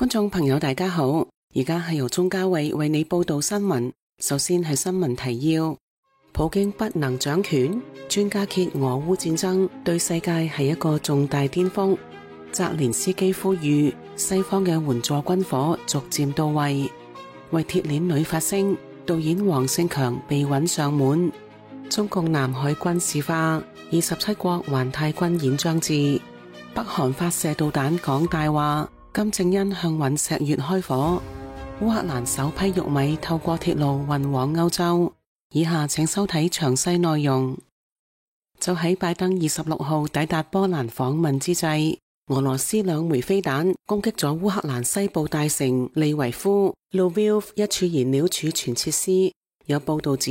觀眾朋友大家好，而家係由鍾嘉慧為你報道新聞。首先係新聞提要：普京不能掌權，專家揭俄烏戰爭對世界係一個重大顛覆。澤連斯基呼籲西方嘅援助軍火逐漸到位。為鐵鏈女發聲，導演黃勝強被搵上門。中共南海軍事化，27國環太軍演將至。北韓發射導彈講大話。金正恩向隕石月開火。烏克蘭首批玉米透過鐵路運往歐洲。以下請收睇詳細內容。就喺拜登26號抵達波蘭訪問之際，俄羅斯2枚飛彈攻擊咗烏克蘭西部大城利維夫 Lviv 一處燃料儲存設施。有報道指，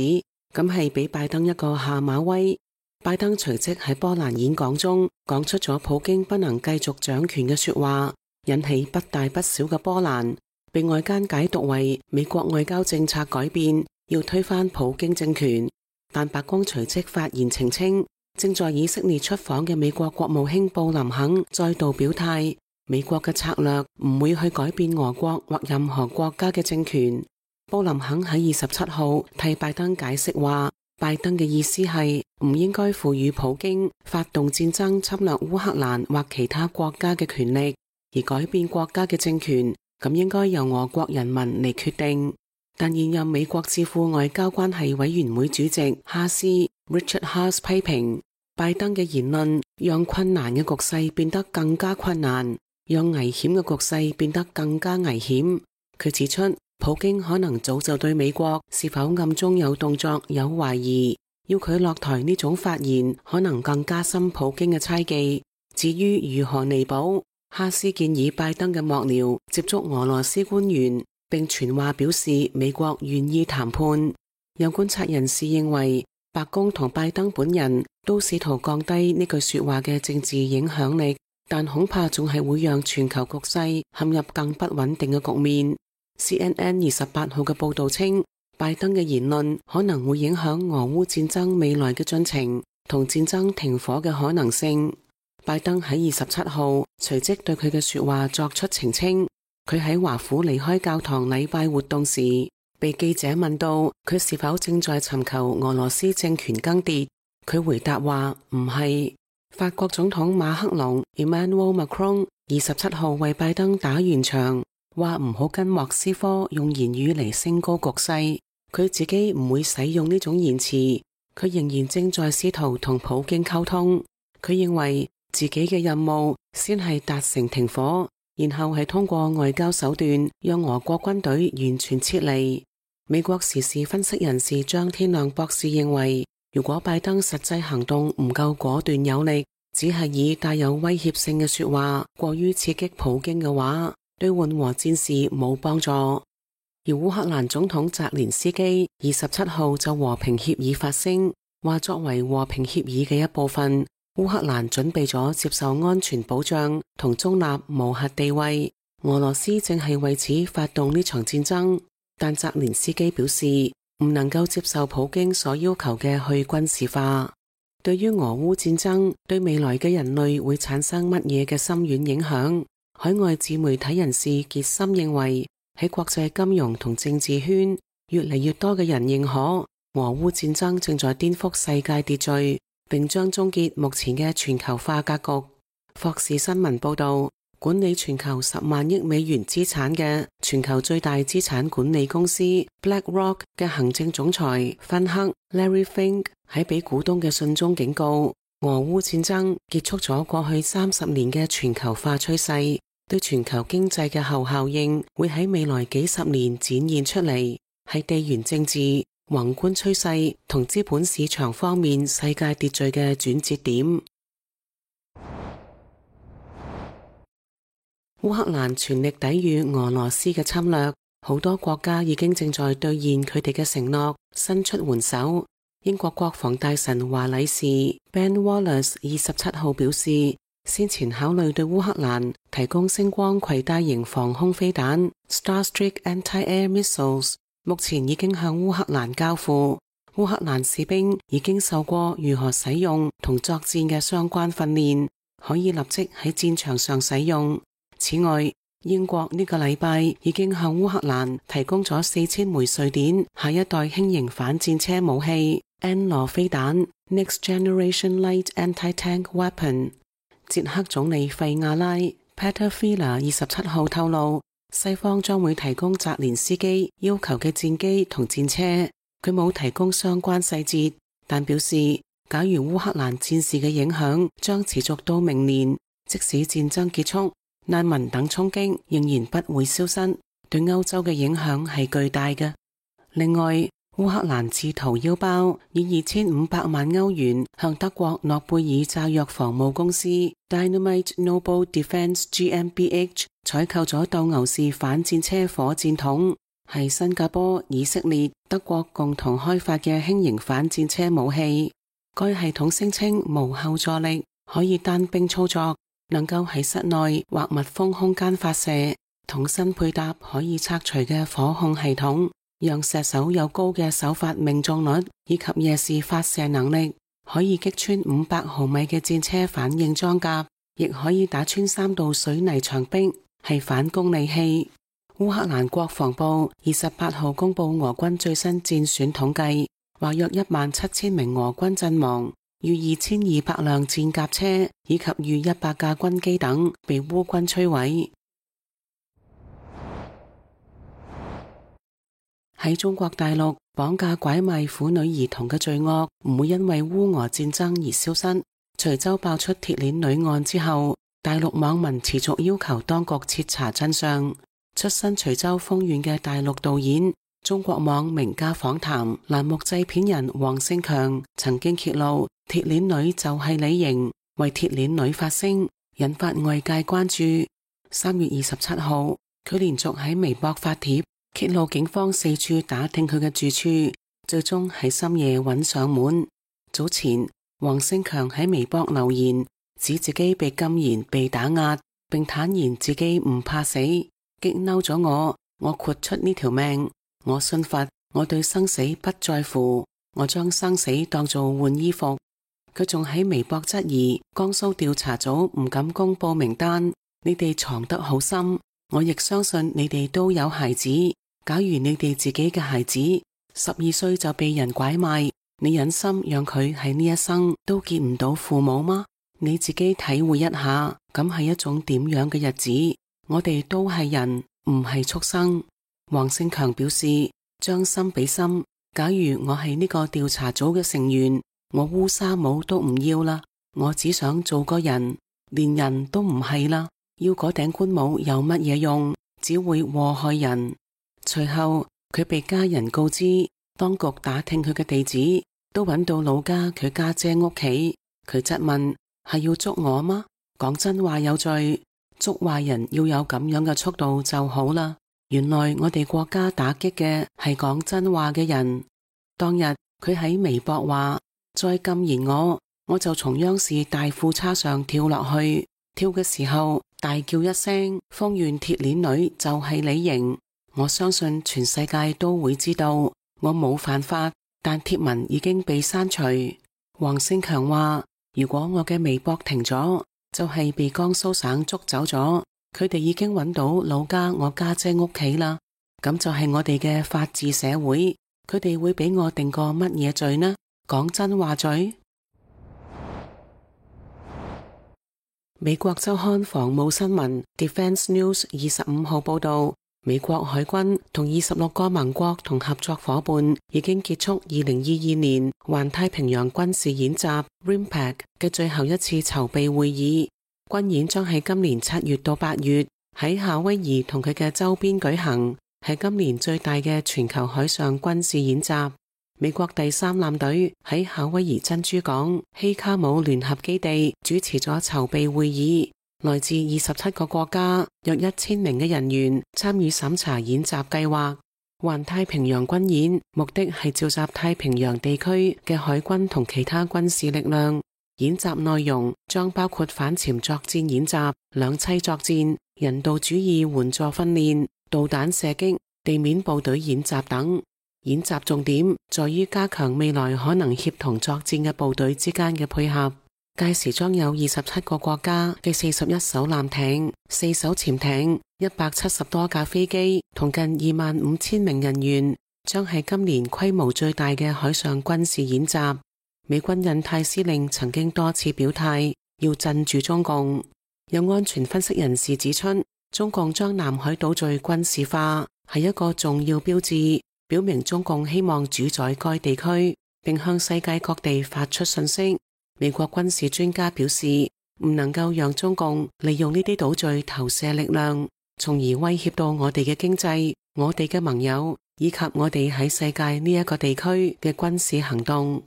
咁係俾拜登一個下馬威。拜登隨即喺波蘭演講中講出咗普京不能繼續掌權嘅說話，引起不大不小嘅波瀾，被外間解讀為美國外交政策改變，要推翻普京政權。但白宮隨即發言澄清，正在以色列出訪嘅美國國務卿布林肯再度表態，美國嘅策略唔會去改變俄國或任何國家嘅政權。布林肯喺27號替拜登解釋話，拜登嘅意思係唔應該賦予普京發動戰爭侵略烏克蘭或其他國家嘅權力，而改變國家嘅政權，咁應該由俄國人民嚟決定。但現任美國智庫外交關係委員會主席哈斯 Richard Haass 批評拜登嘅言論，讓困難嘅局勢變得更加困難，讓危險嘅局勢變得更加危險。佢指出，普京可能早就對美國是否暗中有動作有懷疑，要佢落台呢種發言可能更加深普京嘅猜忌。至於如何彌補，哈斯建議拜登嘅幕僚接觸俄羅斯官員，並傳話表示美國願意談判。有觀察人士認為，白宮同拜登本人都試圖降低呢句說話嘅政治影響力，但恐怕仲係會讓全球局勢陷入更不穩定嘅局面。CNN 28號嘅報道稱，拜登嘅言論可能會影響俄烏戰爭未來嘅進程同戰爭停火嘅可能性。拜登喺27號隨即對佢嘅說話作出澄清。佢喺華府離開教堂禮拜活動時，被記者問到佢是否正在尋求俄羅斯政權更迭，佢回答話唔係。法國總統馬克龍 Emmanuel Macron 27號為拜登打圓場，話唔好跟莫斯科用言語嚟升高局勢，佢自己唔會使用呢種言辭，佢仍然正在試圖同普京溝通。佢認為自己嘅任務先係達成停火，然後係通過外交手段讓俄國軍隊完全撤離。美國時事分析人士張天亮博士認為，如果拜登實際行動唔夠果斷有力，只係以帶有威脅性嘅說話過於刺激普京嘅話，對緩和戰事冇幫助。而烏克蘭總統澤連斯基27號就和平協議發聲，話作為和平協議嘅一部分，烏克蘭準備咗接受安全保障同中立無核地位。俄羅斯正係為此發動呢場戰爭，但澤連斯基表示唔能夠接受普京所要求嘅去軍事化。對於俄烏戰爭對未來嘅人類會產生乜嘢嘅深遠影響，海外自媒體人士傑森認為，喺國際金融同政治圈，越嚟越多嘅人認可俄烏戰爭正在顛覆世界秩序，並將終結目前嘅全球化格局。霍士新聞報道，管理全球10萬億美元資產嘅全球最大資產管理公司 BlackRock 嘅行政總裁芬克 Larry Fink 喺俾股東嘅信中警告，俄烏戰爭結束咗過去30年嘅全球化趨勢，對全球經濟嘅後效應會喺未來幾十年展現出嚟，係地緣政治、宏觀趨勢同資本市場方面世界秩序嘅轉折點。烏克蘭全力抵禦俄羅斯嘅侵略，好多國家已經正在兌現佢哋嘅承諾，伸出援手。英國國防大臣華禮士 Ben Wallace 27號表示，先前考慮對烏克蘭提供星光攜帶型防空飛彈 Starstreak Anti-Air Missiles， 目前已經向烏克蘭交付。烏克蘭士兵已經受過如何使用同作戰嘅相關訓練，可以立即喺戰場上使用。此外，英國呢個禮拜已經向烏克蘭提供咗4000枚瑞典下一代輕型反戰車武器 N 羅飛彈 Next Generation Light Anti-Tank Weapon。捷克總理費亞拉 Petr Fiala 27號透露，西方將會提供澤連斯基要求嘅戰機同戰車。佢冇提供相關細節，但表示假如烏克蘭戰事嘅影響將持續到明年，即使戰爭結束，難民等衝擊仍然不會消失，對歐洲嘅影響係巨大嘅。另外，烏克蘭自掏腰包以2500萬歐元向德國諾貝爾炸藥防務公司 Dynamite Noble Defense GmbH 採購咗鬥牛士反戰車火箭筒，係新加坡、以色列、德國共同開發嘅輕型反戰車武器。該系統聲稱無後坐力，可以單兵操作，能夠喺室內或密封空間發射，筒身配搭可以拆除嘅火控系統，讓射手有高嘅手法命中率以及夜視發射能力，可以擊穿500毫米嘅戰車反應裝甲，亦可以打穿3道水泥牆壁，係反攻利器。烏克蘭國防部28號公布俄軍最新戰損統計，話約17000名俄軍陣亡，逾2200輛戰甲車以及逾100架軍機等被烏軍摧毀。喺中國大陸，綁架拐賣婦女兒童嘅罪惡唔會因為烏俄戰爭而消失。徐州爆出鐵鏈女案之後，大陸網民持續要求當局徹查真相。出身徐州豐縣嘅大陸導演、中國網名家訪談欄目製片人黃勝強曾經揭露鐵鏈女就係李瑩，為鐵鏈女發聲，引發外界關注。3月27號，佢連續喺微博發帖揭露警方四處打聽佢嘅住處，最終喺深夜揾上門。早前黃勝強喺微博留言，指自己被禁言、被打壓，並坦言自己唔怕死。激嬲咗我豁出呢條命，我信佛，我對生死不在乎，我將生死當做換衣服。佢仲喺微博質疑江蘇調查組唔敢公布名單，你哋藏得好深，我亦相信你哋都有孩子。假如你哋自己嘅孩子12歲就被人拐賣，你忍心讓佢喺呢一生都見唔到父母嗎？你自己體會一下，咁係一種點樣嘅日子？我哋都係人，唔係畜生。黃勝強表示，將心比心，假如我係呢個調查組嘅成員，我烏紗帽都唔要啦，我只想做個人，連人都唔係啦，要嗰頂官帽有乜嘢用？只會禍害人。隨後佢被家人告知，當局打聽佢嘅地址，都揾到老家佢家姐屋企。佢質問，係要捉我嗎？講真話有罪，捉壞人要有咁樣嘅速度就好啦。原來我哋國家打擊嘅係講真話嘅人。當日佢喺微博話，再禁言我就從央視大褲叉上跳落去，跳嘅時候大叫一聲，豐縣鐵鏈女就係李瑩。我相信全世界都會知道我冇犯法，但貼文已經被刪除。黃勝強話，如果我嘅微博停咗，就係被江蘇省捉走咗，佢哋已經揾到老家我家姐屋企啦。咁就係我哋嘅法治社會，佢哋會俾我定個乜嘢罪呢？講真話罪？美國週刊防務新聞 Defense News 25號報道，美國海軍同26個盟國同合作夥伴已經結束2022年環太平洋軍事演習 RIMPAC 嘅最後一次籌備會議。軍演將喺今年7月到8月喺夏威夷同佢嘅周邊舉行，係今年最大嘅全球海上軍事演習。美國第3艦隊喺夏威夷珍珠港希卡姆聯合基地主持咗籌備會議。來自27個國家約1000名嘅人員參與審查演習計劃。環太平洋軍演目的係召集太平洋地區嘅海軍同其他軍事力量。演習內容將包括反潛作戰演習、兩棲作戰、人道主義援助訓練、導彈射擊、地面部隊演習等。演習重點在於加強未來可能協同作戰嘅部隊之間嘅配合。屆時將有27個國家嘅41艘艦艇、4艘潛艇、170多架飛機同近25,000名人員，將係今年規模最大嘅海上軍事演習。美軍印太司令曾經多次表態要鎮住中共。有安全分析人士指出，中共將南海島嶼軍事化係一個重要標誌，表明中共希望主宰該地區，並向世界各地發出訊息。美國軍事專家表示，唔能夠讓中共利用呢啲島嶼投射力量，從而威脅到我哋嘅經濟、我哋嘅盟友以及我哋喺世界呢一個地區嘅軍事行動。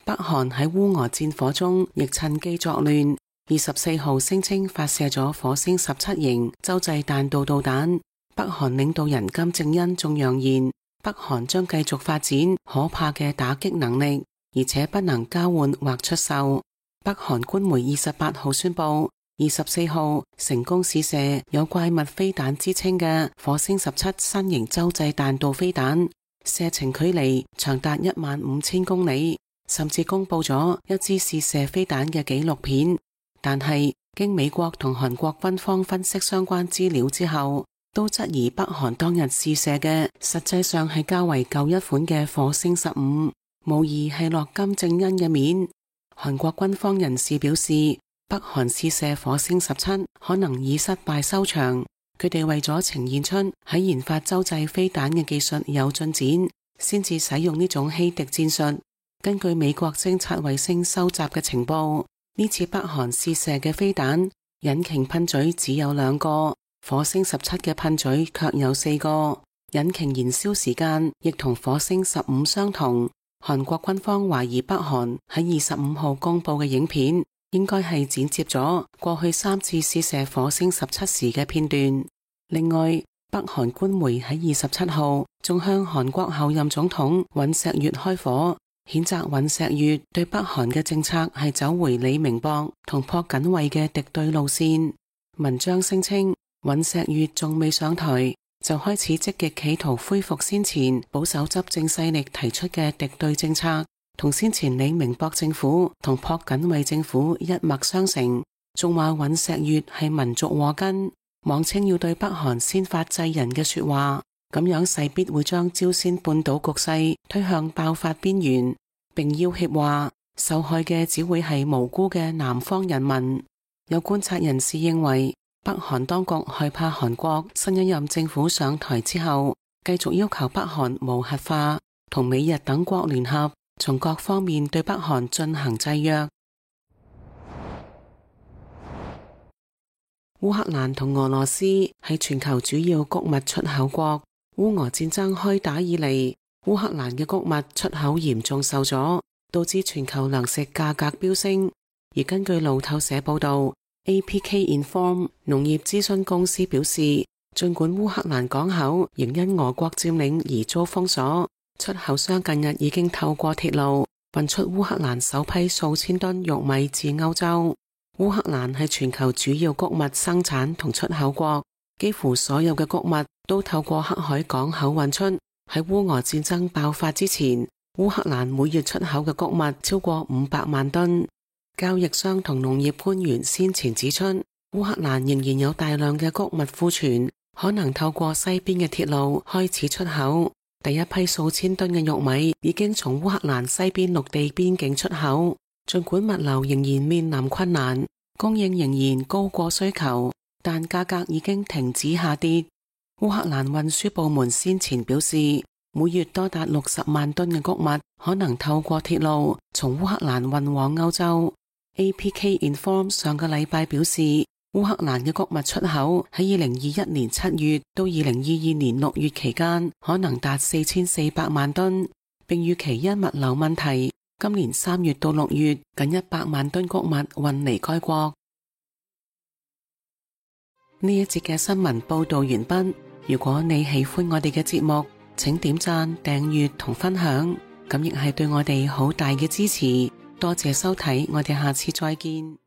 北韓喺烏俄戰火中亦趁機作亂，24號聲稱發射咗火星17型洲際彈道導彈。北韓領導人金正恩仲揚言，北韓將繼續發展可怕嘅打擊能力，而且不能交換或出售。北韓官媒28號宣布，24號成功試射有怪物飛彈之稱嘅火星17新型洲際彈道飛彈，射程距離長達15000公里。甚至公布咗一支試射飛彈嘅紀錄片，但係經美國同韓國軍方分析相關資料之後，都質疑北韓當日試射嘅實際上係較為舊一款嘅火星15，無疑係落金正恩嘅面。韓國軍方人士表示，北韓試射火星17可能以失敗收場，佢哋為咗呈現出喺研發洲際飛彈嘅技術有進展，先至使用呢種欺敵戰術。根據美國偵察衛星收集嘅情報，呢次北韓試射嘅飛彈引擎噴嘴只有2個，火星17嘅噴嘴卻有4個，引擎燃燒時間亦同火星15相同。韓國軍方懷疑北韓喺25號公布嘅影片應該係剪接咗過去3次試射火星17時嘅片段。另外，北韓官媒喺27號仲向韓國候任總統尹錫悅開火，譴責尹錫悅對北韓嘅政策係走回李明博同朴槿惠嘅敵對路線。文章聲稱，尹錫悅仲未上台就開始積極企圖恢復先前保守執政勢力提出嘅敵對政策，同先前李明博政府同朴槿惠政府一脈相承。仲話尹錫悅係民族禍根，妄稱要對北韓先發制人嘅說話，咁樣勢必會將朝鮮半島局勢推向爆發邊緣，並要挾話受害嘅只會係無辜嘅南方人民。有觀察人士認為，北韓當局害怕韓國新一任政府上台之後，繼續要求北韓無核化，同美日等國聯合，從各方面對北韓進行制約。烏克蘭同俄羅斯係全球主要穀物出口國。烏俄戰爭開打以嚟，烏克蘭嘅穀物出口嚴重受阻，導致全球糧食價格飆升。而根據路透社報道， APK Inform 農業諮詢公司表示，儘管烏克蘭港口仍因俄國佔領而遭封鎖，出口商近日已經透過鐵路運出烏克蘭首批數千噸玉米至歐洲。烏克蘭係全球主要穀物生產同出口國，幾乎所有嘅穀物都透過黑海港口運出。喺烏俄戰爭爆發之前，烏克蘭每月出口嘅穀物超過500萬噸。交易商同農業官員先前指出，烏克蘭仍然有大量嘅穀物庫存，可能透過西邊嘅鐵路開始出口。第一批數千噸嘅玉米已經從烏克蘭西邊陸地邊境出口。儘管物流仍然面臨困難，供應仍然高過需求，但價格已經停止下跌。烏克蘭運輸部門先前表示，每月多達60萬噸嘅穀物可能透過鐵路從烏克蘭運往歐洲。APK Inform 上個禮拜表示，烏克蘭嘅穀物出口喺2021年7月到2022年6月期間可能達4400萬噸，並預期因物流問題，今年3月到6月近100萬噸穀物運離該國。呢一節嘅新聞報道完畢。如果你喜歡我哋嘅節目，請點讚、訂閱同分享，咁亦係對我哋好大嘅支持。多謝收睇，我哋下次再見。